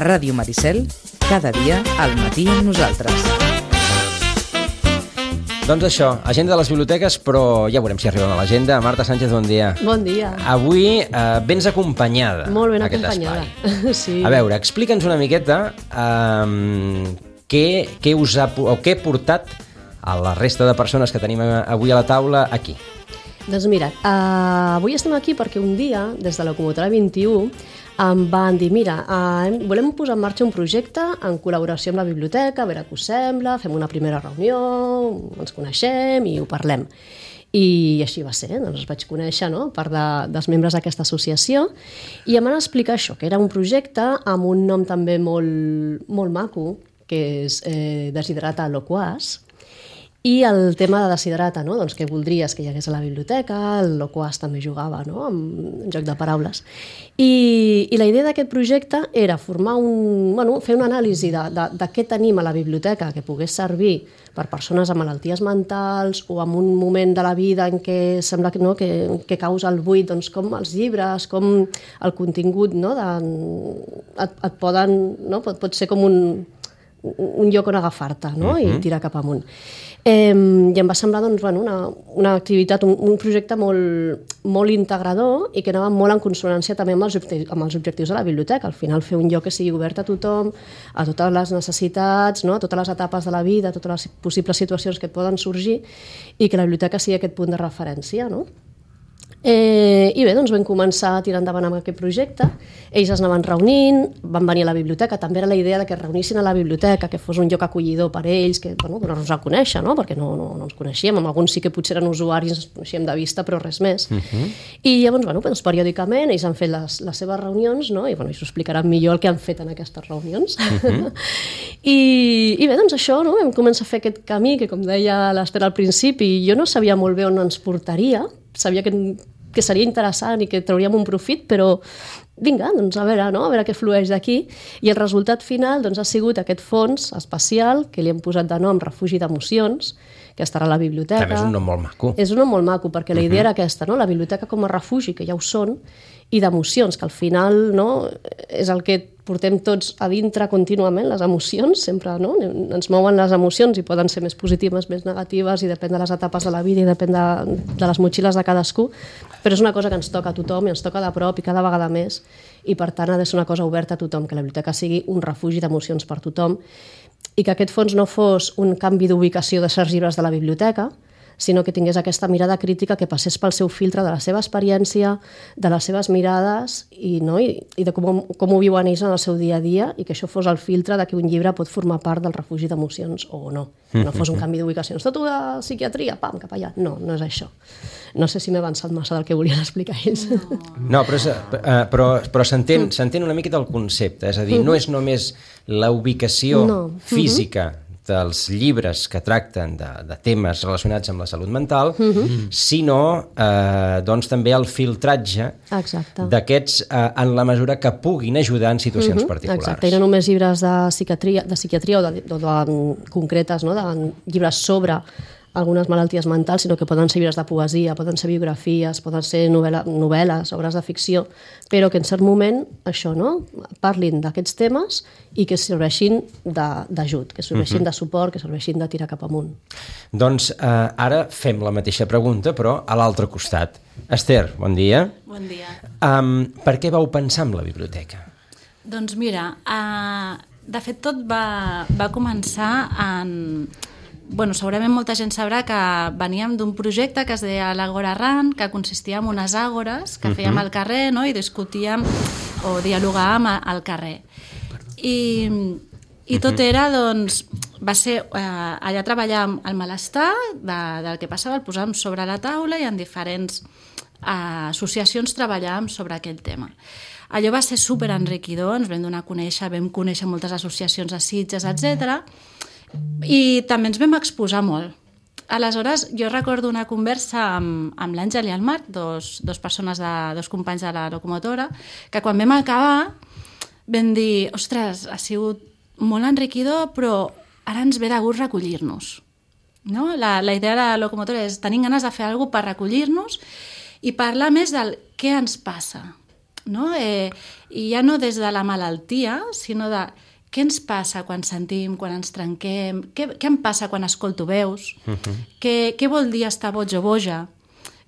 Ràdio Maricel, cada dia al matí amb nosaltres. Doncs això, agenda de les biblioteques, però ja veurem si arribem a l'agenda. Marta Sánchez, bon dia. Bon dia. Avui vens acompanyada. Molt ben acompanyada. Sí. A veure, explica'ns una miqueta què us ha portat a la resta de persones que tenim avui a la taula aquí. Doncs mira, avui estem aquí perquè un dia, des de Locomotora 21, em van dir, mira, volem posar en marxa un projecte en col·laboració amb la biblioteca, a veure què us sembla, fem una primera reunió, ens coneixem i ho parlem. I així va ser, doncs els vaig conèixer, no?, part dels membres d'aquesta associació, i em van explicar això, que era un projecte amb un nom també molt maco, que és Desiderata Loquaç, i el tema de Desiderata, no? Doncs que voldries que hi hagués a la biblioteca, el Loquaç també jugava, no?, amb joc de paraules. I la idea d'aquest projecte era fer una anàlisi de què tenim a la biblioteca que pogués servir per persones amb malalties mentals o en un moment de la vida en què sembla que causa el buit, doncs com els llibres, com el contingut, no?, et poden, no?, pot ser com un lloc on agafar-te, no?, i tirar cap amunt. I em va semblar doncs, una activitat, un projecte molt integrador i que anava molt en consonància també amb els objectius de la biblioteca. Al final fer un lloc que sigui obert a tothom, a totes les necessitats, no?, a totes les etapes de la vida, a totes les possibles situacions que poden sorgir i que la biblioteca sigui aquest punt de referència, no? I bé, doncs vam començar a tirar endavant amb aquest projecte. Ells es anaven reunint, van venir a la biblioteca, també era la idea de que es reunissin a la biblioteca, que fos un lloc acollidor per ells, que donar-nos a conèixer, no?, perquè no ens coneixíem, amb alguns sí que potser eren usuaris, ens coneixíem de vista, però res més. I llavors, doncs, periòdicament, ells han fet les seves reunions, no?, i ells ho explicaran millor el que han fet en aquestes reunions. I bé, doncs això, no?, vam començar a fer aquest camí, que com deia l'Ester al principi, jo no sabia molt bé on ens portaria, sabia que seria interessant i que trauríem un profit, però vinga, doncs a veure què flueix d'aquí. I el resultat final doncs, ha sigut aquest fons especial que li hem posat de nom Refugi d'Emocions, que estarà a la biblioteca. També és un nom molt maco. És un nom molt maco, perquè la idea era aquesta, no?, la biblioteca com a refugi, que ja ho són, i d'emocions, que al final, no?, és el que portem tots a dintre contínuament, les emocions, sempre, no?, ens mouen les emocions i poden ser més positives, més negatives, i depèn de les etapes de la vida i depèn de les motxilles de cadascú, però és una cosa que ens toca a tothom i ens toca de prop i cada vegada més, i per tant ha de ser una cosa oberta a tothom, que la biblioteca sigui un refugi d'emocions per tothom, i que aquest fons no fos un canvi d'ubicació de certs llibres de la biblioteca, sinó que tingués aquesta mirada crítica que passés pel seu filtre de la seva experiència, de les seves mirades i de com ho viuen ells en el seu dia a dia, i que això fos el filtre de que un llibre pot formar part del refugi d'emocions o no. No fos un canvi d'ubicació. Tot de psiquiatria, pam, cap allà. No és això. No sé si m'he avançat massa del que volien explicar ells. No, però s'entén una miqueta el concepte, és a dir, no és només la ubicació física dels llibres que tracten de temes relacionats amb la salut mental, sinó doncs també el filtratge d'aquests en la mesura que puguin ajudar en situacions particulars. Exacte, i no només llibres de psiquiatria o de concretes, no?, de llibres sobre algunes malalties mentals, sinó que poden ser llibres de poesia, poden ser biografies, poden ser novel·les, obres de ficció, però que en cert moment això, no?, parlin d'aquests temes i que serveixin d'ajut, que serveixin de suport, que serveixin de tirar cap amunt. Doncs ara fem la mateixa pregunta, però a l'altre costat. Esther, bon dia. Bon dia. Per què vau pensar en la biblioteca? Doncs mira, de fet tot va començar en... segurament molta gent sabrà que veníem d'un projecte que es deia l'Àgora Ran, que consistia en unes àgores que fèiem al carrer, no?, i discutíem o dialogàvem al carrer. I tot era, doncs, va ser allà treballar el malestar del que passava, el posàvem sobre la taula i en diferents associacions treballàvem sobre aquell tema. Allò va ser superenriquidor, ens vam donar a conèixer, vam conèixer moltes associacions a Sitges, etc. I també ens vam exposar molt. Aleshores, jo recordo una conversa amb l'Àngel i el Marc, dos companys de la locomotora, que quan vam acabar vam dir, ostres, ha sigut molt enriquidor, però ara ens ve de gust recollir-nos. No? La idea de la locomotora és tenir ganes de fer alguna cosa per recollir-nos i parlar més del què ens passa. no? I ja no des de la malaltia, sinó de què ens passa quan sentim, quan ens trenquem, què em passa quan escolto veus, què vol dir estar boig o boja,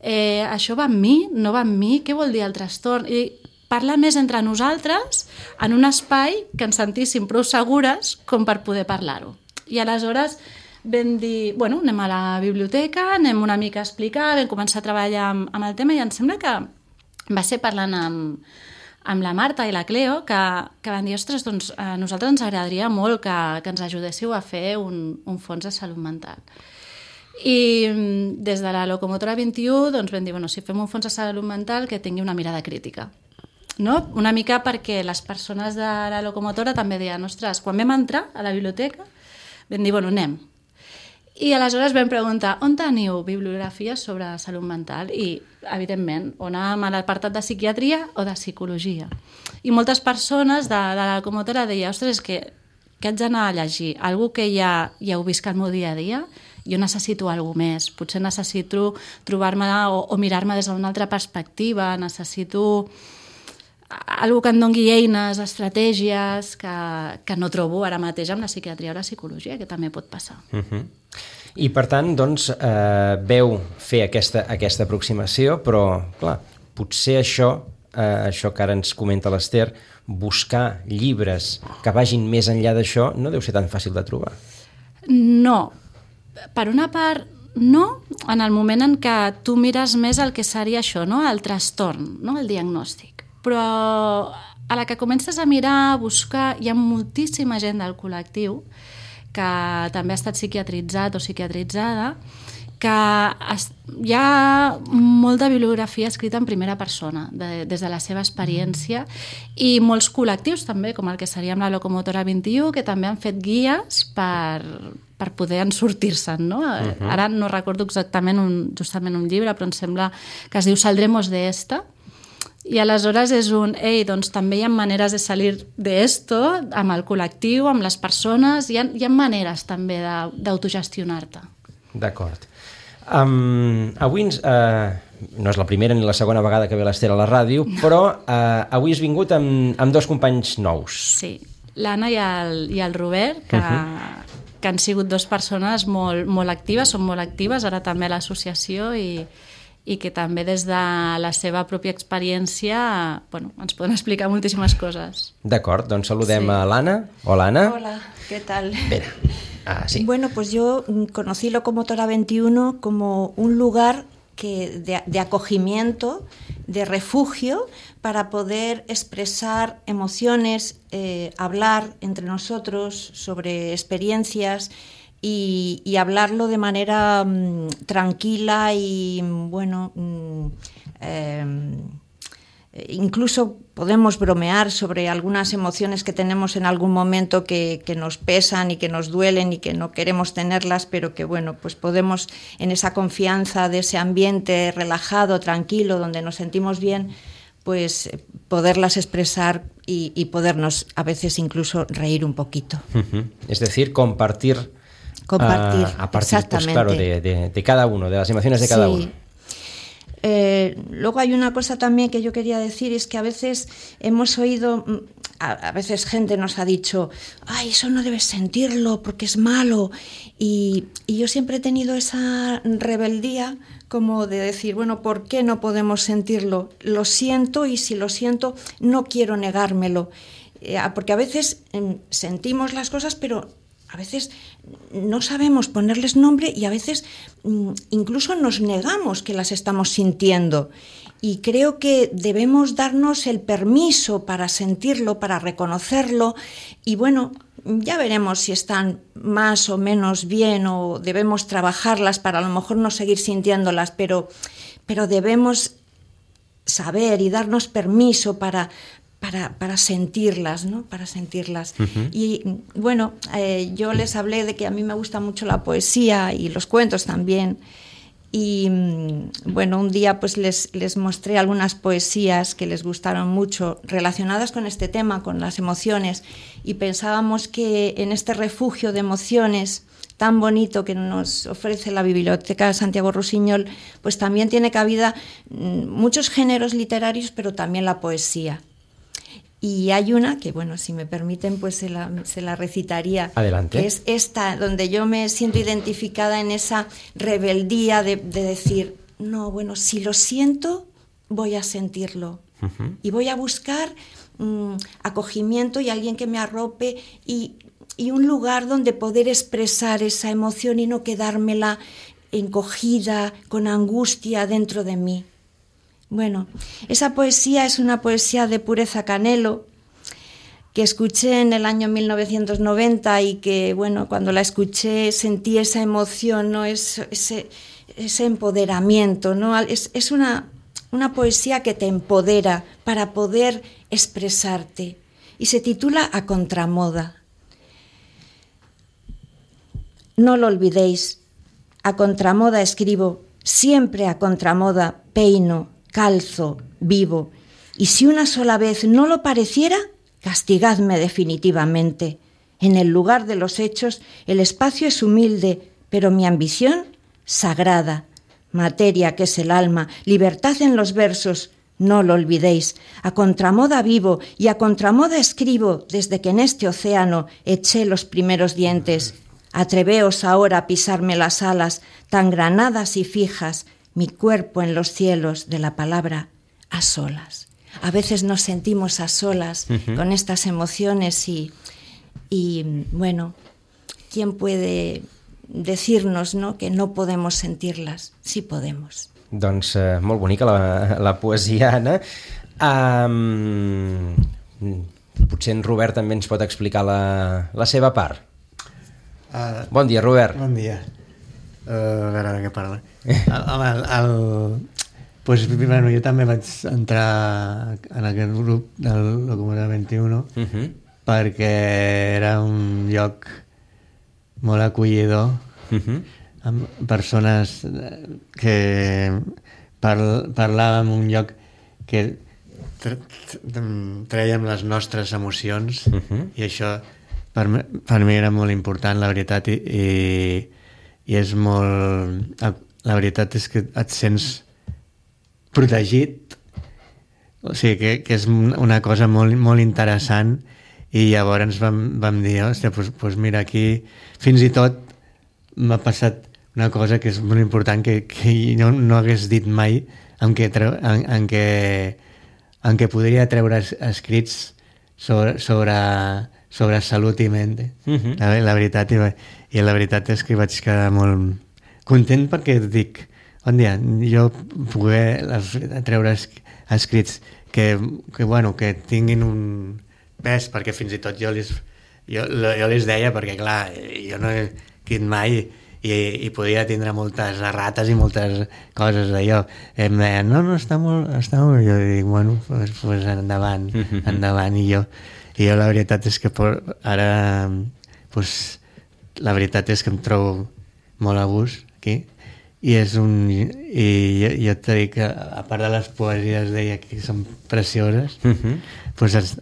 això va amb mi, no va amb mi, què vol dir el trastorn, i parlar més entre nosaltres en un espai que ens sentíssim prou segures com per poder parlar-ho. I aleshores vam dir, bueno, anem a la biblioteca, anem una mica a explicar, vam començar a treballar amb el tema i em sembla que va ser parlant amb la Marta i la Cleo que van dir, ostres, doncs a nosaltres ens agradaria molt que ens ajudéssiu a fer un fons de salut mental. I des de la Locomotora 21 doncs vam dir, bueno, si fem un fons de salut mental que tingui una mirada crítica. No? Una mica perquè les persones de la Locomotora també deien, ostres, quan vam entrar a la biblioteca vam dir, bueno, anem. I aleshores vam preguntar, on teniu bibliografia sobre salut mental? I, evidentment, on anàvem a l'apartat de psiquiatria o de psicologia. I moltes persones de la Locomotora deien, ostres, és que haig d'anar a llegir? Algú que ja heu vist el meu dia a dia? Jo necessito alguna més. Potser necessito trobar-me o mirar-me des d'una altra perspectiva, necessito algú que em doni eines, estratègies que no trobo ara mateix amb la psiquiatria o la psicologia, que també pot passar. I per tant, doncs, veu fer aquesta aproximació, però, clar, potser això que ara ens comenta l'Ester, buscar llibres que vagin més enllà d'això, no deu ser tan fàcil de trobar. No. Per una part, no, en el moment en què tu mires més el que seria això, no? El trastorn, no? El diagnòstic. Però a la que comences a mirar, a buscar, hi ha moltíssima gent del col·lectiu que també ha estat psiquiatritzat o psiquiatritzada, que hi ha molta bibliografia escrita en primera persona, des de la seva experiència, i molts col·lectius també, com el que seria amb la Locomotora 21, que també han fet guies per poder en sortir-se'n, no? Ara no recordo exactament justament un llibre, però em sembla que es diu Saldremos de esta, i aleshores és doncs també hi ha maneres de salir d'esto amb el col·lectiu, amb les persones, hi ha maneres també d'autogestionar-te. D'acord. Avui no és la primera ni la segona vegada que ve l'Ester a la ràdio, però avui has vingut amb dos companys nous. Sí, l'Anna i el Robert, que han sigut dues persones molt actives, són molt actives, ara també a l'associació i que també des de la seva pròpia experiència ens poden explicar moltíssimes coses. D'acord, doncs saludem a l'Anna. Hola, Ana. Hola, ¿qué tal? Espera. Sí. Bueno, pues yo conocí Locomotora 21 como un lugar de acogimiento, de refugio, para poder expresar emociones, hablar entre nosotros sobre experiencias y hablarlo de manera tranquila y, bueno, incluso podemos bromear sobre algunas emociones que tenemos en algún momento que nos pesan y que nos duelen y que no queremos tenerlas, pero que, bueno, pues podemos, en esa confianza de ese ambiente relajado, tranquilo, donde nos sentimos bien, pues poderlas expresar y podernos a veces incluso reír un poquito. Es decir, compartir a partir, pues, claro, de cada uno, de las emociones de cada uno. Luego hay una cosa también que yo quería decir, es que a veces hemos oído, a veces gente nos ha dicho, ay, eso no debes sentirlo porque es malo, y yo siempre he tenido esa rebeldía como de decir, bueno, ¿por qué no podemos sentirlo? Lo siento, y si lo siento no quiero negármelo, porque a veces sentimos las cosas, pero a veces no sabemos ponerles nombre y a veces incluso nos negamos que las estamos sintiendo. Y creo que debemos darnos el permiso para sentirlo, para reconocerlo, y bueno, ya veremos si están más o menos bien o debemos trabajarlas para a lo mejor no seguir sintiéndolas, pero debemos saber y darnos permiso para sentirlas, ¿no? Para sentirlas. Y bueno, yo les hablé de que a mí me gusta mucho la poesía y los cuentos también. Y bueno, un día pues les mostré algunas poesías que les gustaron mucho relacionadas con este tema, con las emociones, y pensábamos que en este refugio de emociones tan bonito que nos ofrece la Biblioteca Santiago Rusiñol, pues también tiene cabida muchos géneros literarios, pero también la poesía. Y hay una que, bueno, si me permiten, pues se la recitaría. Adelante. Que es esta, donde yo me siento identificada en esa rebeldía de decir, no, bueno, si lo siento, voy a sentirlo. Y voy a buscar acogimiento y alguien que me arrope y un lugar donde poder expresar esa emoción y no quedármela encogida, con angustia dentro de mí. Bueno, esa poesía es una poesía de Pureza Canelo, que escuché en el año 1990 y que, bueno, cuando la escuché sentí esa emoción, ¿no? Ese empoderamiento, ¿no? Es una poesía que te empodera para poder expresarte y se titula A Contramoda. No lo olvidéis, a contramoda escribo, siempre a contramoda peino, calzo, vivo, y si una sola vez no lo pareciera, castigadme definitivamente. En el lugar de los hechos el espacio es humilde, pero mi ambición sagrada. Materia que es el alma, libertad en los versos, no lo olvidéis. A contramoda vivo y a contramoda escribo desde que en este océano eché los primeros dientes. Atreveos ahora a pisarme las alas, tan granadas y fijas, mi cuerpo en los cielos de la palabra a solas. A veces nos sentimos a solas con estas emociones y bueno, ¿quién puede decirnos, no, que no podemos sentirlas? Sí podemos. Doncs molt bonica la poesia, Anna. Potser en Robert també ens pot explicar la seva part. Bon dia, Robert. Bon dia. A veure de què parla. Pues, bueno, jo també vaig entrar en aquest grup del Locomotora 21 perquè era un lloc molt acollidor amb persones que parlàvem un lloc que trèiem les nostres emocions i això per mi era molt important, la veritat, i és molt... La veritat és que et sents protegit, o sigui que és una cosa molt, molt interessant, i llavors vam dir, hòstia, doncs mira, aquí fins i tot m'ha passat una cosa que és molt important que no hagués dit mai, en què podria treure escrits sobre salut i ment. La veritat, i la veritat és que vaig quedar molt content perquè dic, on dia, jo poder treure escrits que tinguin un pes, perquè fins i tot jo les deia, perquè clar, jo no he escrit mai i podia tindre moltes errates i moltes coses d'allò. Em deien, no, està molt... Jo dic, bueno, pues endavant, i jo la veritat és que ara la veritat és que em trobo molt a gust aquí, i jo t'he dit que a part de les poesies deia que són precioses,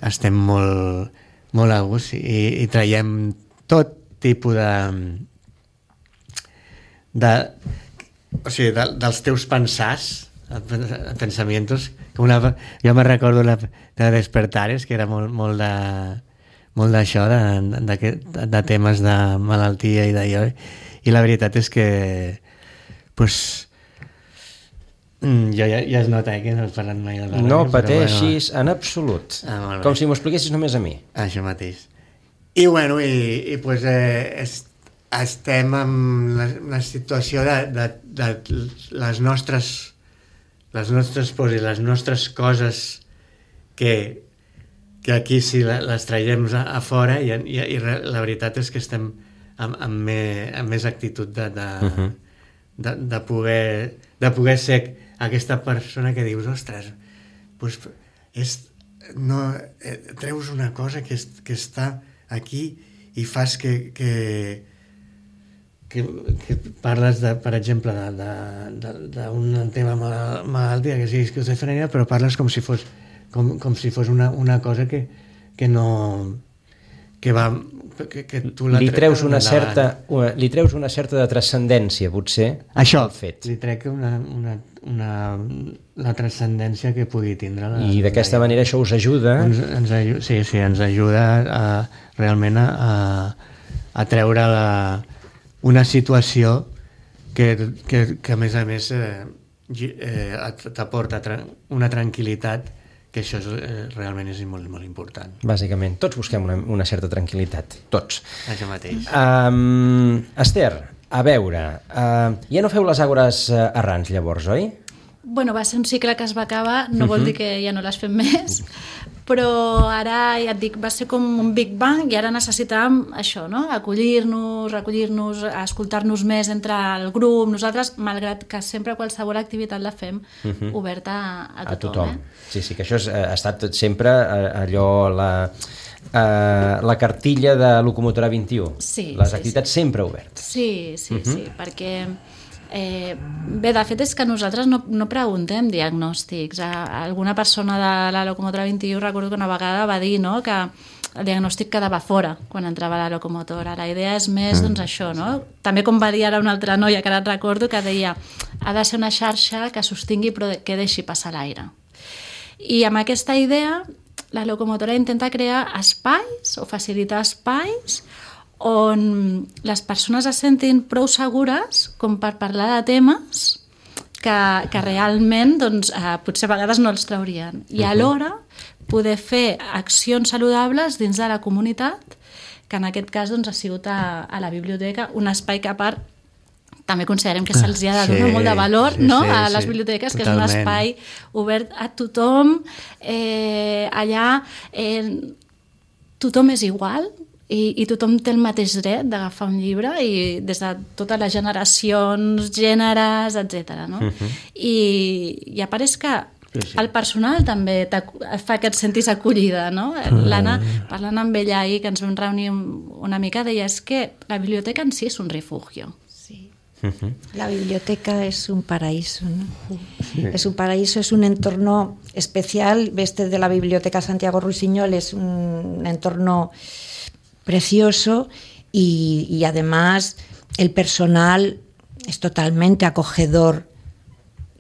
estem molt a gust i traiem tot tipus dels teus pensamientos. Jo me recordo de Despertares, que era molt d'això, de temes de malaltia i d'allò, i la veritat és que jo ja es nota que no has parlat mai de la ràdio. No pateixis en absolut, com si m'ho expliquessis només a mi. Això mateix. I bueno, estem en la situació de les nostres pors i les nostres coses que aquí si les traiem a fora, i la veritat és que estem amb més actitud de poder ser aquesta persona que dius, ostres, treus una cosa que està aquí i fas que parles, per exemple, d'un tema malaltia, que sigui esquizofrènia, però parles com si fos una cosa que que tu li treus una certa de transcendència, potser. Això, li trec la transcendència que pugui tindre. I d'aquesta manera això us ajuda? Sí, ens ajuda realment a treure una situació que a més t'aporta una tranquil·litat, que això realment és molt, molt important. Bàsicament, tots busquem una certa tranquil·litat, tots. Això mateix. Esther, a veure, ja no feu les Àgores errants llavors, oi? Bueno, va ser un cicle que es va acabar, no vol dir que ja no les fem més, però ara, ja et dic, va ser com un Big Bang i ara necessitàvem això, no? Recollir-nos, escoltar-nos més entre el grup, nosaltres, malgrat que sempre qualsevol activitat la fem oberta a tothom. Sí, que això ha estat sempre allò, la cartilla de Locomotora 21. Les activitats sempre obertes. Sí, perquè... bé, de fet és que nosaltres no preguntem diagnòstics. Alguna persona de la Locomotora 21 recordo que una vegada va dir, no?, que el diagnòstic quedava fora quan entrava a la locomotora. La idea és més, doncs, això, no? També com va dir ara una altra noia que ara et recordo, que deia ha de ser una xarxa que sostingui però que deixi passar l'aire. I amb aquesta idea la locomotora intenta crear espais o facilitar espais on les persones es sentin prou segures com per parlar de temes que realment doncs, potser a vegades no els traurien. I alhora poder fer accions saludables dins de la comunitat, que en aquest cas doncs, ha sigut a la biblioteca, un espai que a part també considerem que se'ls ha de donar molt de valor, no? A les biblioteques, que totalment. És un espai obert a tothom, allà tothom és igual, i tothom té el mateix dret d'agafar un llibre, i des de totes les generacions, gèneres, etc. No? I a part és que el personal també fa que et sentis acollida, no? L'Anna, parlant amb ella ahir, que ens vam reunir una mica, deia és que la biblioteca en si és un refugio. Sí. La biblioteca es un paraíso, ¿no? Es un paraíso, es un entorno especial. Este de la Biblioteca Santiago Rusiñol es un entorno precioso y además el personal es totalmente acogedor,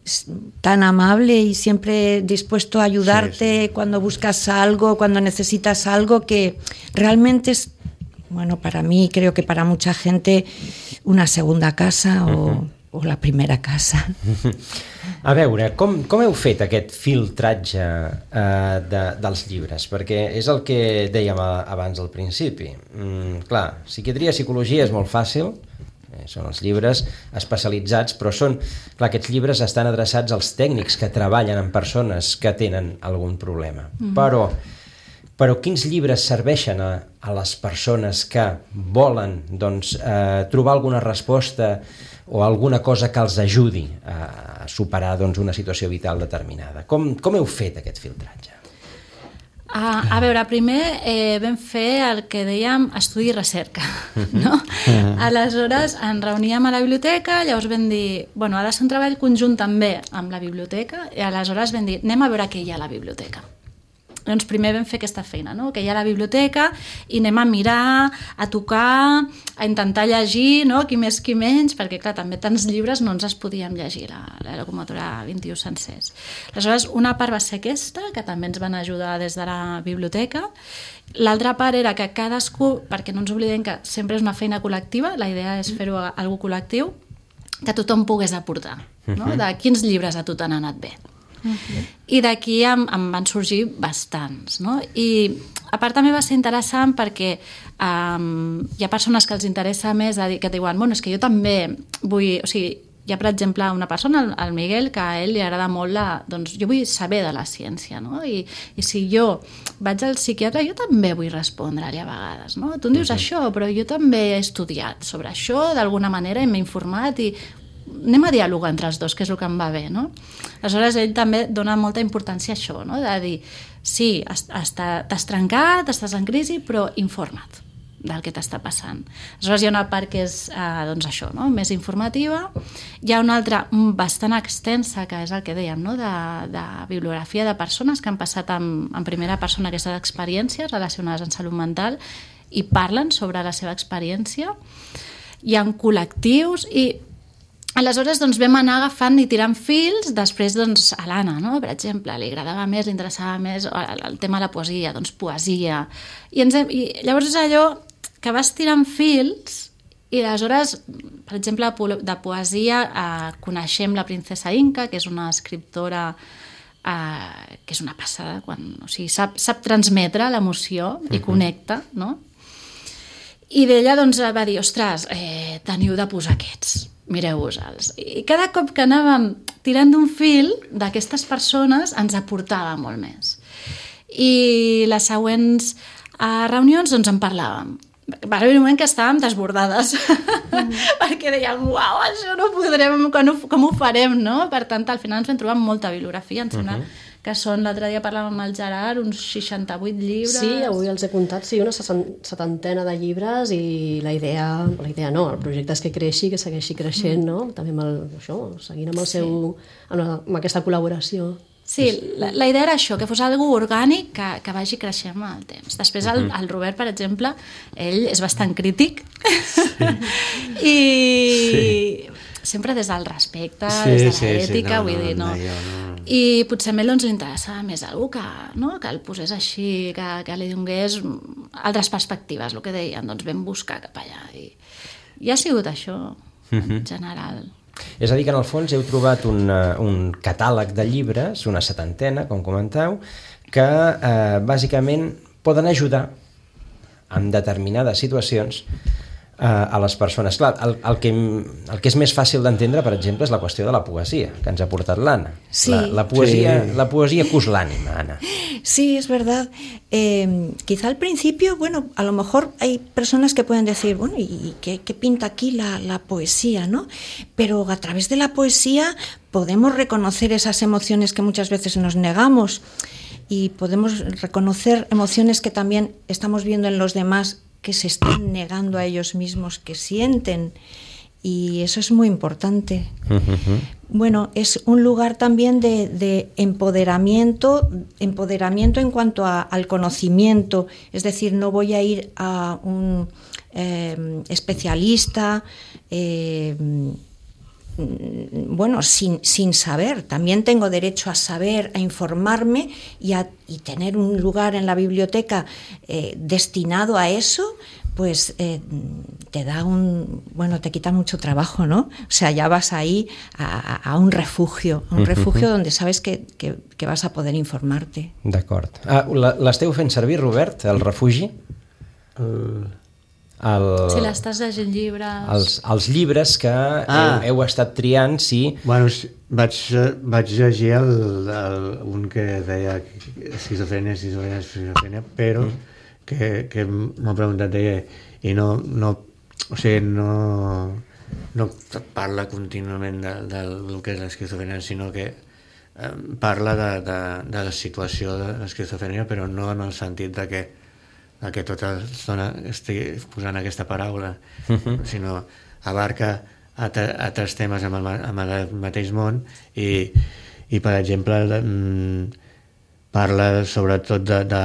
es tan amable y siempre dispuesto a ayudarte cuando buscas algo, cuando necesitas algo, que realmente es, bueno, para mí, creo que para mucha gente, una segunda casa o la primera casa. A veure, com heu fet aquest filtratge dels llibres? Perquè és el que dèiem abans al principi. Clar, psiquiatria, psicologia és molt fàcil, són els llibres especialitzats, però clar, aquests llibres estan adreçats als tècnics que treballen amb persones que tenen algun problema. Però quins llibres serveixen a les persones que volen doncs, trobar alguna resposta o alguna cosa que els ajudi a superar doncs, una situació vital determinada? Com heu fet aquest filtratge? A veure, primer vam fer el que dèiem estudi i recerca, no? Aleshores ens reuníem a la biblioteca, llavors vam dir, bueno, ha de ser un treball conjunt també amb la biblioteca, i aleshores vam dir, anem a veure què hi ha a la biblioteca. Doncs primer vam fer aquesta feina, no? Que hi ha a la biblioteca, i anem a mirar, a tocar, a intentar llegir, no? Qui més, qui menys, perquè clar, també tants llibres no ens els podíem llegir, la Locomotora 21 sencers. Aleshores, una part va ser aquesta, que també ens van ajudar des de la biblioteca. L'altra part era que cadascú, perquè no ens oblidem que sempre és una feina col·lectiva, la idea és fer-ho algo col·lectiu, que tothom pogués aportar, no? De quins llibres a tu t'han anat bé. I d'aquí em van sorgir bastants, no? I a part també va ser interessant perquè hi ha persones que els interessa més que et diuen, bueno, és que jo també vull, o sigui, hi ha per exemple una persona, el Miguel, que a ell li agrada molt doncs jo vull saber de la ciència, no? I si jo vaig al psiquiatre, jo també vull respondre-li a vegades, no? Tu em dius això, però jo també he estudiat sobre això d'alguna manera i m'he informat i anem a dialogar entre els dos, que és el que em va bé, no? Aleshores, ell també dona molta importància a això, no? De dir, sí, t'has trencat, estàs en crisi, però informa't del que t'està passant. Aleshores, hi ha una part que és, doncs això, no? Més informativa. Hi ha una altra bastant extensa, que és el que dèiem, no? De bibliografia de persones que han passat en primera persona aquestes experiències relacionades amb salut mental, i parlen sobre la seva experiència. Hi ha col·lectius i aleshores doncs, vam anar agafant i tirant fils. Després doncs, a l'Anna, no? Per exemple, li agradava més, li interessava més el tema de la poesia, doncs poesia. I llavors és allò que vas tirant fils i aleshores, per exemple, de poesia coneixem la princesa Inca, que és una escriptora que és una passada, sap transmetre l'emoció i connecta, no? I d'ella doncs, va dir, ostres, teniu de posar aquests, mireu-vos-els. I cada cop que anàvem tirant d'un fil d'aquestes persones ens aportava molt més. I les següents reunions doncs en parlàvem. Va haver un moment que estàvem desbordades perquè dèiem, uau, això no podrem, com ho farem, no? Per tant, al final ens vam trobar molta bibliografia, em sembla que són, l'altre dia parlàvem amb el Gerard, uns 68 llibres. Sí, avui els he comptat, sí, una 70 de llibres i la idea no, el projecte és que creixi, que segueixi creixent, no? També seguint amb aquesta col·laboració. Sí, la idea era això, que fos algo orgànic que vagi creixent amb el temps. Després el Robert, per exemple, ell és bastant crític i sempre des del respecte, des de l'ètica, vull dir, no. I potser a ell li interessava més algú que el posés així, que li donés altres perspectives, el que deien, doncs vam buscar cap allà. I ha sigut això, en general. És a dir, que en el fons heu trobat un catàleg de llibres, una 70, com comenteu, que bàsicament poden ajudar en determinades situacions a les persones. Clar, el que és més fàcil d'entendre, per exemple, és la qüestió de la poesia, que ens ha portat l'Anna. Sí. La poesia cus l'ànima, Ana. Sí, es verdad. Quizá al principio, a lo mejor hay personas que pueden decir, ¿y qué pinta aquí la poesía, no? Pero a través de la poesía podemos reconocer esas emociones que muchas veces nos negamos y podemos reconocer emociones que también estamos viendo en los demás, que se están negando a ellos mismos, que sienten, y eso es muy importante. Es un lugar también de empoderamiento en cuanto al conocimiento, es decir, no voy a ir a un especialista sin saber. También tengo derecho a saber, a informarme y tener un lugar en la biblioteca destinado a eso, pues te da te quita mucho trabajo, ¿no? O sea, ya vas ahí a un refugio, donde sabes que vas a poder informarte. D'acord. L'esteu fent servir, Robert, el refugi? Si l'estàs llegint llibres... Els llibres que heu estat triant, sí. Vaig llegir un que deia esquizofrènia, però que m'ha preguntat ella, i no parla contínuament del que és l'esquizofrènia, sinó que parla de la situació de l'esquizofrènia, però no en el sentit de que tota l'estona estigui posant aquesta paraula, sinó abarca altres temes amb el mateix món i per exemple parla sobretot de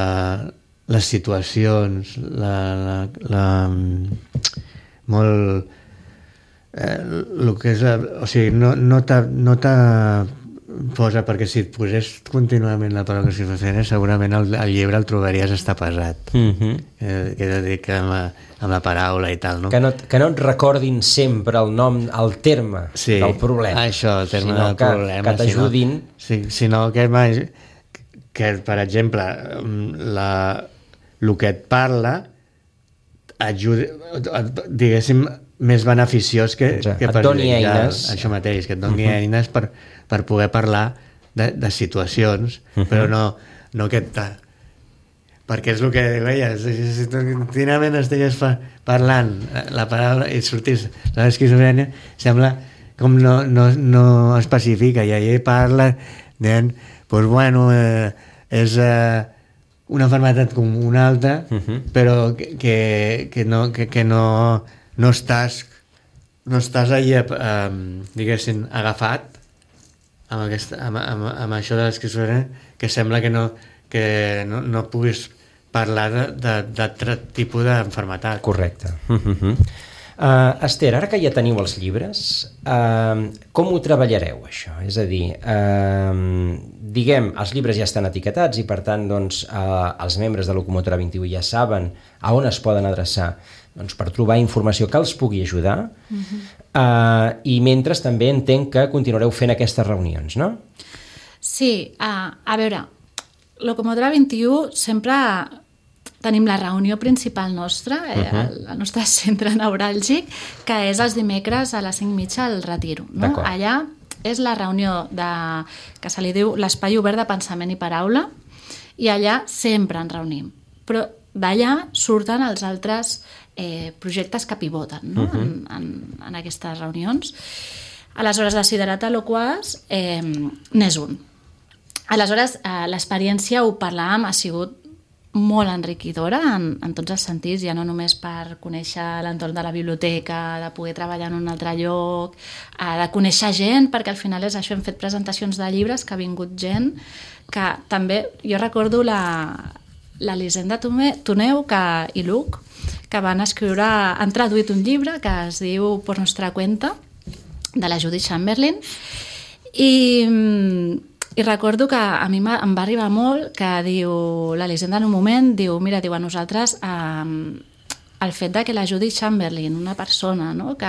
les situacions, molt el que és no t'ha posa, perquè si et posés contínuament la paraula esquizofrènia, segurament el llibre el trobaries estar pesat. Que dedica amb la paraula i tal, no? Que no et recordin sempre el nom, el terme del problema. Això, el terme del problema. Que t'ajudin. Sinó que, per exemple, el que et parla ajuda, diguéssim, més beneficiós que et doni eines. Això mateix, que et doni eines per poder parlar de situacions, però no que perquè és el que veies, si contínuament estigués parlant la paraula i sortís l'esquizofrènia, sembla com no especifica, i allà parla dient, és una malaltia com una altra, però que no estàs allà, diguéssim, agafat amb això de l'esquizofrènia, que sembla que no puguis parlar d'altre tipus d'enfermetat. Correcte. Esther, ara que ja teniu els llibres, com ho treballareu, això? És a dir, diguem, els llibres ja estan etiquetats i, per tant, doncs, els membres de Locomotora 21 ja saben a on es poden adreçar per trobar informació que els pugui ajudar, i mentre també entenc que continuareu fent aquestes reunions, no? Sí, a veure, Locomotora 21 sempre tenim la reunió principal nostra, el nostre centre neuràlgic, que és els dimecres a les 5:30 al Retiro. No? Allà és la reunió que se li diu l'espai obert de pensament i paraula, i allà sempre ens reunim. Però d'allà surten els altres projectes que pivoten, no? en aquestes reunions. Aleshores, Desiderata Loquaz n'és un. Aleshores, l'experiència, ho parlàvem, ha sigut molt enriquidora en tots els sentits, ja no només per conèixer l'entorn de la biblioteca, de poder treballar en un altre lloc, de conèixer gent, perquè al final és això, hem fet presentacions de llibres, que ha vingut gent, que també, jo recordo l'Elisenda Toneu i Luc, que van escriure, han traduït un llibre que es diu Por nostra cuenta, de la Judith Chamberlain, i recordo que a mi em va arribar molt que diu, l'Elisenda en un moment diu, mira, diu, a nosaltres el fet de que la Judith Chamberlain, una persona, no, que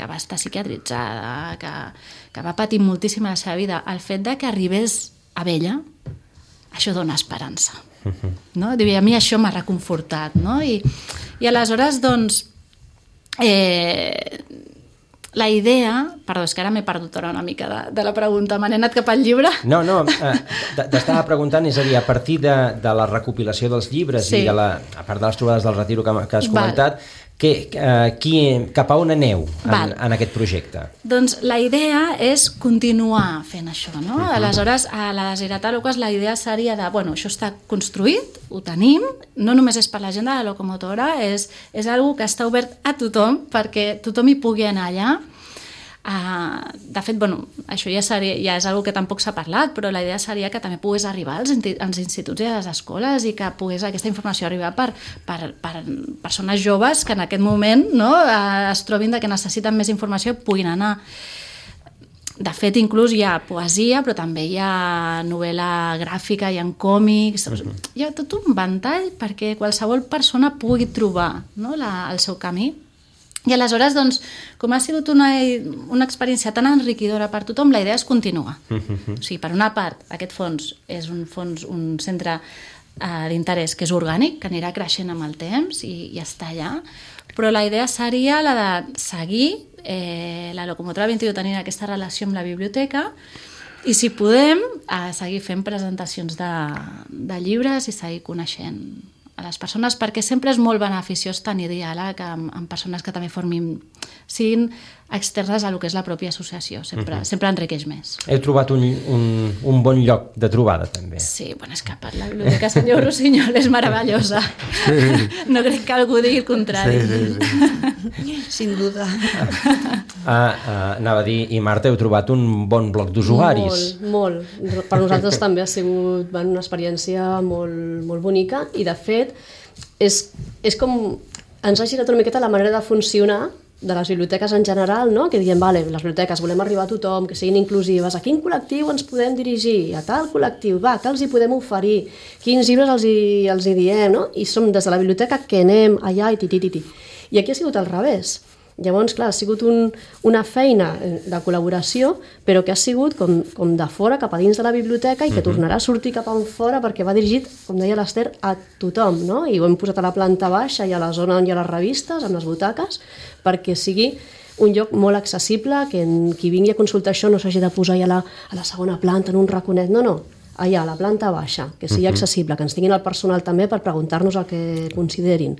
va estar psiquiatritzada, que va patir moltíssim a la seva vida, el fet de que arribés a ella, això dona esperança. No? Diu, i a mi això m'ha reconfortat, no? I aleshores, doncs, la idea... Perdó, és que ara m'he perdut una mica de la pregunta. Me n'he anat cap al llibre? No, t'estava preguntant, és a dir, a partir de la recopilació dels llibres i a part de les trobades del Retiro que has comentat, cap a on aneu en aquest projecte? Doncs la idea és continuar fent això, no? Aleshores, a la Desiderata Loquaz la idea seria de, bueno, això està construït, ho tenim, no només és per la gent de la locomotora, és algo que està obert a tothom, perquè tothom hi pugui anar allà. De fet, bueno, això ja és algo que tampoc s'ha parlat, però la idea seria que també pogués arribar als instituts i a les escoles i que pogués aquesta informació arribar per persones joves que en aquest moment, no, es trobin que necessiten més informació, puguin anar. De fet, inclús hi ha poesia, però també hi ha novel·la gràfica, hi ha còmics, hi ha tot un ventall perquè qualsevol persona pugui trobar, no, el seu camí. I aleshores, doncs, com ha sigut una experiència tan enriquidora per tothom, la idea és continuar. O sigui, per una part, aquest fons és un centre d'interès que és orgànic, que anirà creixent amb el temps i està allà, però la idea seria la de seguir la Locomotora 21 tenint aquesta relació amb la biblioteca i, si podem, seguir fent presentacions de llibres i seguir coneixent a les persones, perquè sempre és molt beneficiós tenir diàleg amb persones que també siguin externes a lo que és la pròpia associació. Sempre enriqueix més. Heu trobat un bon lloc de trobada, també. Sí, bueno, és que per la biblioteca Senyor Rossinyol és meravellosa. No crec que algú digui el contrari. Sí. Sin duda. Anava a dir, i Marta, heu trobat un bon bloc d'usuaris. Molt. Per nosaltres també ha sigut una experiència molt bonica i, de fet, és com ens ha girat una miqueta la manera de funcionar de les biblioteques en general, no? Que diem, vale, les biblioteques volem arribar a tothom, que siguin inclusives, a quin col·lectiu ens podem dirigir, a tal col·lectiu, què els hi podem oferir, quins llibres els hi diem, no? I som des de la biblioteca que anem allà i titi. I aquí ha sigut al revés. Llavors, clar, ha sigut una feina de col·laboració, però que ha sigut com de fora cap a dins de la biblioteca i que tornarà a sortir cap a fora perquè va dirigit, com deia l'Ester, a tothom, no? I ho hem posat a la planta baixa i a la zona on hi ha les revistes, amb les butaques, perquè sigui un lloc molt accessible, que qui vingui a consultar això no s'hagi de posar ja a la segona planta en un raconet, no, allà, a la planta baixa, que sigui accessible, que ens tinguin el personal també per preguntar-nos el que considerin.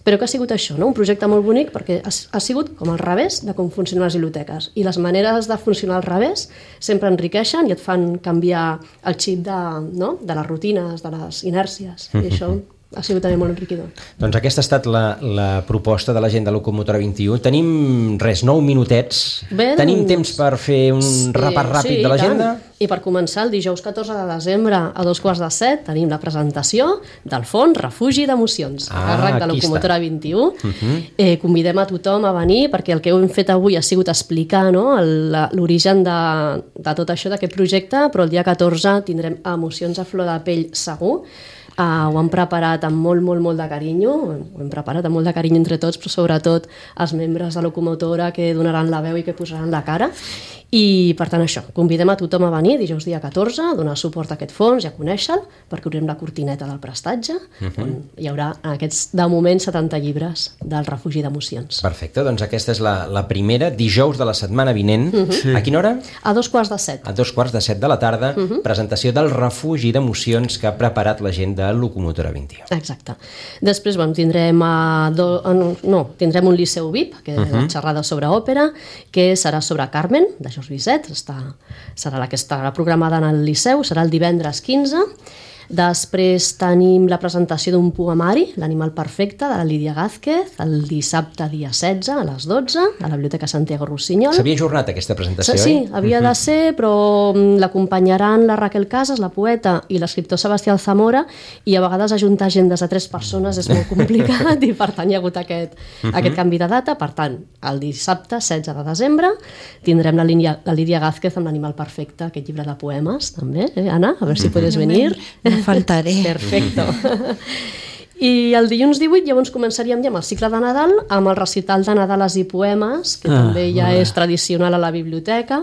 Però que ha sigut això, no? Un projecte molt bonic perquè ha sigut com al revés de com funcionen les biblioteques. I les maneres de funcionar al revés sempre enriqueixen i et fan canviar el xip de les rutines, de les inèrcies. I això ha sigut també molt enriquidor. Doncs aquesta ha estat la proposta de l'agenda Locomotora 21. Tenim 9 minutets. Bé, Tenim temps per fer un repàs ràpid de l'agenda? I per començar, el dijous 14 de desembre a 6:45 tenim la presentació del Fons Refugi d'Emocions, a càrrec de Locomotora 21. Convidem a tothom a venir perquè el que hem fet avui ha sigut explicar, no, l'origen de tot això, d'aquest projecte, però el dia 14 tindrem emocions a flor de pell segur. Ho hem preparat amb molt de carinyo, ho hem preparat amb molt de carinyo entre tots, però sobretot els membres de Locomotora que donaran la veu i que posaran la cara. I per tant això, convidem a tothom a venir dijous dia 14 a donar suport a aquest fons i a conèixer-lo, perquè obrirem la cortineta del prestatge, on hi haurà aquests, de moment, 70 llibres del Refugi d'Emocions. Perfecte, doncs aquesta és la primera, dijous de la setmana vinent. A quina hora? A 6:45. A 6:45 de la tarda, presentació del Refugi d'Emocions que ha preparat la gent de Locomotora 21. Exacte. Després, tindrem un Liceu VIP, que és una xerrada sobre òpera, que serà sobre Carmen, de George Bizet, serà la que estarà programada en el Liceu, serà el divendres 15. Després tenim la presentació d'un poemari, L'animal perfecte, de la Lídia Gázquez, el dissabte dia 16 a les 12, a la Biblioteca Santiago Rossinyol. S'havia ajornat aquesta presentació, Sí, havia de ser, però l'acompanyaran la Raquel Casas, la poeta, i l'escriptor Sebastià Alzamora, i a vegades ajuntar agendes de 3 persones és molt complicat, i per tant hi ha hagut aquest canvi de data. Per tant, el dissabte 16 de desembre tindrem la Lídia Gázquez amb L'animal perfecte, aquest llibre de poemes, també, Anna? A veure si puedes venir. No faltaré. Perfecto. I el dilluns 18 llavors començaríem ja amb el cicle de Nadal, amb el recital de Nadales i poemes, que també ja és tradicional a la biblioteca,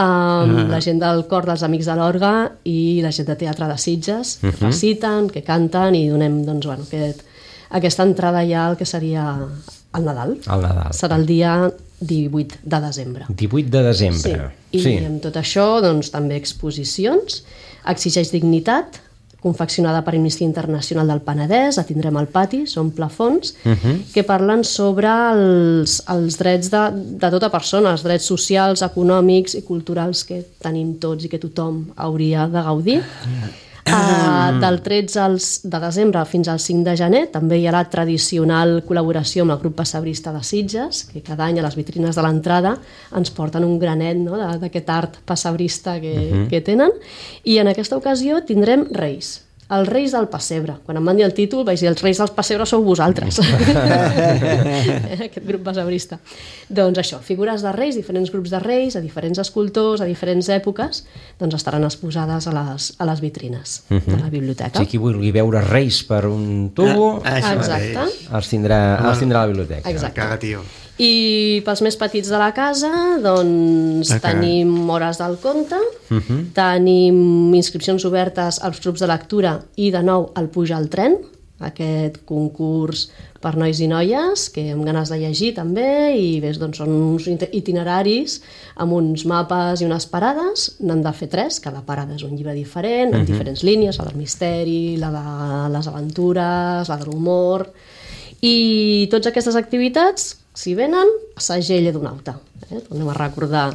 amb la gent del cor dels Amics de l'Orga i la gent de Teatre de Sitges, que reciten, que canten, i donem aquesta entrada ja al que seria el Nadal. El Nadal. Serà el dia 18 de desembre. 18 de desembre. I amb tot això, també exposicions. Exigeix dignitat, confeccionada per Amnistia Internacional del Penedès, la tindrem al pati, són plafons, que parlen sobre els drets de tota persona, els drets socials, econòmics i culturals que tenim tots i que tothom hauria de gaudir. Del 13 de desembre fins al 5 de gener també hi ha la tradicional col·laboració amb el grup pessebrista de Sitges, que cada any a les vitrines de l'entrada ens porten un granet, no?, d'aquest art pessebrista que tenen, i en aquesta ocasió tindrem Reis. Els Reis del Pessebre. Quan em van dir el títol vaig dir, els Reis del Pessebre sou vosaltres. Aquest grup pessebrista. Doncs això, figures de reis, diferents grups de reis, a diferents escultors, a diferents èpoques, doncs estaran exposades a les vitrines de la biblioteca. Si qui vulgui veure reis per un tubo, exacte, els tindrà a la biblioteca. Exacte. Caga, tio. I pels més petits de la casa, doncs tenim hores del conte, tenim inscripcions obertes als grups de lectura i de nou el Puja al tren, aquest concurs per nois i noies que hem ganes de llegir també, i ves, doncs, són uns itineraris amb uns mapes i unes parades. N'han de fer 3, cada parada és un llibre diferent, amb diferents línies, la del misteri, la de les aventures, la de l'humor, i totes aquestes activitats, si venen, segell d'un auta. Tornem a recordar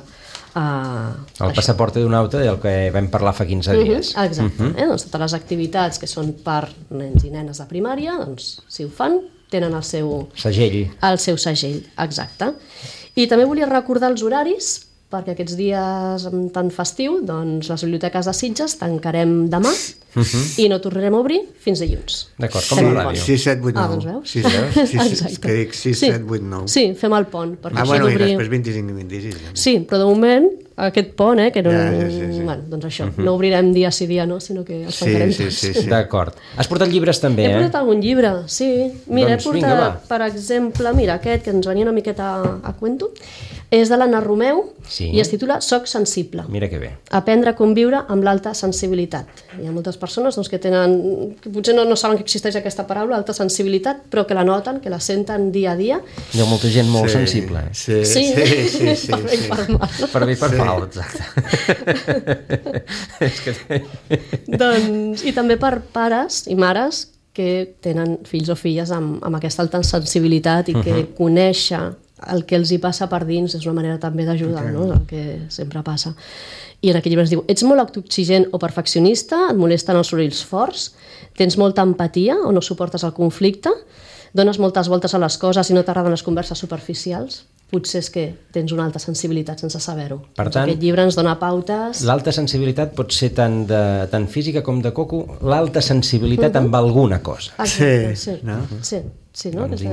el passaport d'un auta del que vam parlar fa 15 dies. Exacte. Doncs totes les activitats que són per nens i nenes de primària, doncs, si ho fan, tenen el seu segell. Exacte. I també volia recordar els horaris, perquè aquests dies tan festiu, doncs les biblioteques de Sitges tancarem demà i no tornarem a obrir fins dilluns. D'acord, com la ràdio. 6, 7, 8, 9. Doncs veus? 6, que dic 6, 7, 8, 9. Sí, fem el pont. I després 25 i 26. Sí, però de moment, aquest pont, que no... Doncs això, no obrirem dia sí dia no, sinó que els tancarem tots. Sí. D'acord. Has portat llibres també, He portat algun llibre, sí. Mira, doncs, he portat, per exemple, aquest que ens venia una miqueta a cuento, és de l'Anna Romeu i es titula Soc sensible. Mira que bé. Aprendre a conviure amb l'alta sensibilitat. Hi ha moltes persones que potser no saben que existeix aquesta paraula, alta sensibilitat, però que la noten, que la senten dia a dia. Hi ha molta gent molt sensible. Sí. Per bé i per mal. Per bé i per mal, exacte. Doncs, i també per pares i mares que tenen fills o filles amb aquesta alta sensibilitat i que conèixer el que els hi passa per dins és una manera també d'ajudar, no? El que sempre passa. I en aquell llibre es diu: ets molt autoexigent o perfeccionista, et molesten els sorolls forts, tens molta empatia o no suportes el conflicte, dones moltes voltes a les coses i no t'agraden les converses superficials, potser és que tens una alta sensibilitat sense saber-ho. Per tant, aquest llibre ens dona pautes. L'alta sensibilitat pot ser tant física com de coco, l'alta sensibilitat amb alguna cosa. Exacte, Sí, no? Sí, no? Doncs,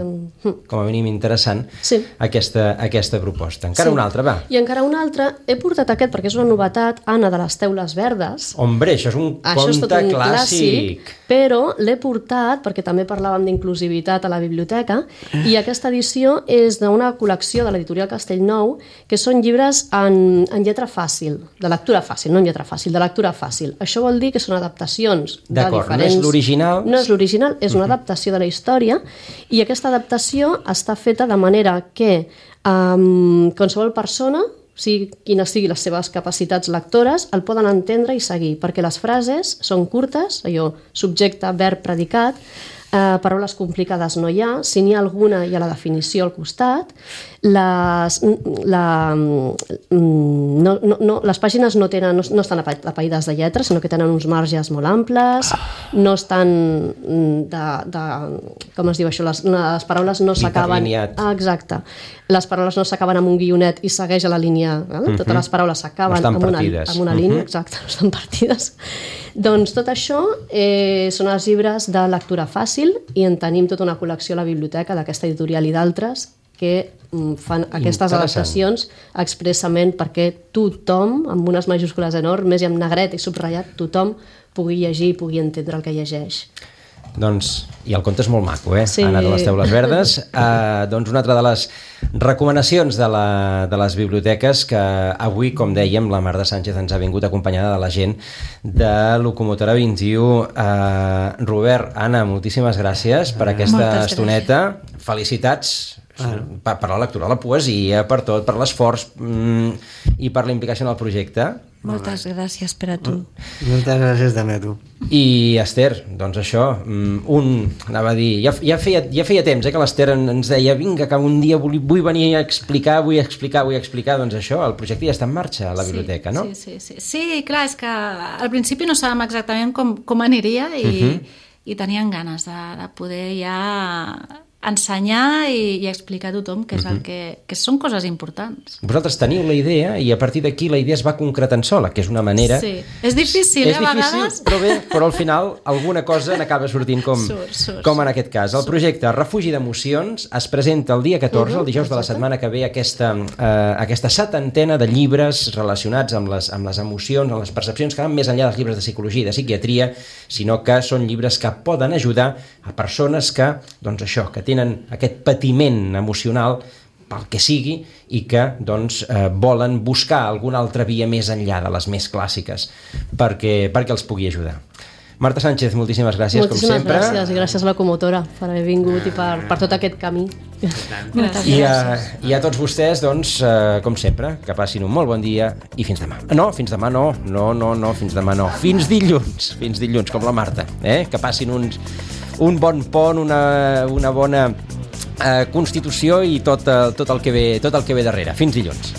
com a mínim interessant, Sí. aquesta proposta. Encara una altra, va. I encara una altra, he portat aquest perquè és una novetat, Anna, de les teules verdes. Hombre, això és un conte clàssic. Però l'he portat perquè també parlàvem d'inclusivitat a la biblioteca, i aquesta edició és d'una col·lecció de l'editorial Castellnou, que són llibres en lletra fàcil, de lectura fàcil, no en lletra fàcil, de lectura fàcil. Això vol dir que són adaptacions de D'acord, diferents... no és l'original. No és l'original, és una adaptació de la història, i aquesta adaptació està feta de manera que qualsevol persona, sigui quines siguin les seves capacitats lectores, el poden entendre i seguir, perquè les frases són curtes, allò, subjecte, verb, predicat, paraules complicades no hi ha, si n'hi ha alguna hi ha la definició al costat, les pàgines no estan apaïdes de lletres, sinó que tenen uns marges molt amples, no estan com es diu això, les paraules no s'acaben... Exacte. Les paraules no s'acaben amb un guionet i segueix a la línia, totes les paraules s'acaben amb una línia, exacte, no estan partides. Doncs tot això són els llibres de lectura fàcil, i en tenim tota una col·lecció a la biblioteca d'aquesta editorial i d'altres que fan aquestes adaptacions expressament perquè tothom, amb unes majúscules enormes i amb negret i subratllat, tothom pugui llegir i pugui entendre el que llegeix. Doncs, i el conte és molt maco, Sí. Anna de les Teules Verdes. Doncs una altra de les recomanacions de les biblioteques que avui, com dèiem, la Marta Sánchez ens ha vingut acompanyada de la gent de Locomotora 21. Robert, Anna, moltíssimes gràcies per aquesta estoneta. Felicitats per la lectura, la poesia, per tot, per l'esforç i per la implicació en el projecte. Moltes gràcies per a tu. Moltes gràcies també a tu. I Esther, doncs això, anava a dir, ja feia temps que l'Esther ens deia, vinga, que un dia vull venir a explicar, vull explicar, doncs això, el projecte ja està en marxa a la biblioteca, no? Sí, clar, és que al principi no sabem exactament com aniria i tenien ganes de poder ja ensenyar i explicar a tothom que és el que són coses importants. Vosaltres teniu la idea i a partir d'aquí la idea es va concretant sola, que és una manera... Sí, és difícil, a vegades. Però al final alguna cosa n'acaba sortint com en aquest cas. El projecte Refugi d'Emocions es presenta el dia 14, el dijous de la setmana que ve, aquesta 70ena de llibres relacionats amb les emocions, amb les percepcions, que van més enllà dels llibres de psicologia i de psiquiatria, sinó que són llibres que poden ajudar a persones que, doncs això, que tenen aquest patiment emocional pel que sigui i que doncs, volen buscar alguna altra via més enllà de les més clàssiques perquè els pugui ajudar. Marta Sánchez, moltíssimes gràcies, com sempre. Moltíssimes gràcies, i gràcies a la Comotora per haver vingut i per tot aquest camí. I a tots vostès, doncs, com sempre, que passin un molt bon dia i fins demà. No, fins demà no, fins demà no. Fins dilluns, com la Marta. Que passin un bon pont, una bona constitució i tot el que ve darrere. Fins dilluns.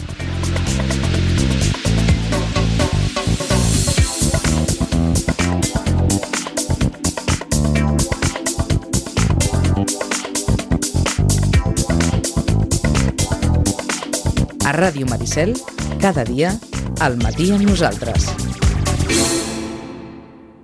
A Ràdio Maricel, cada dia, al matí amb nosaltres.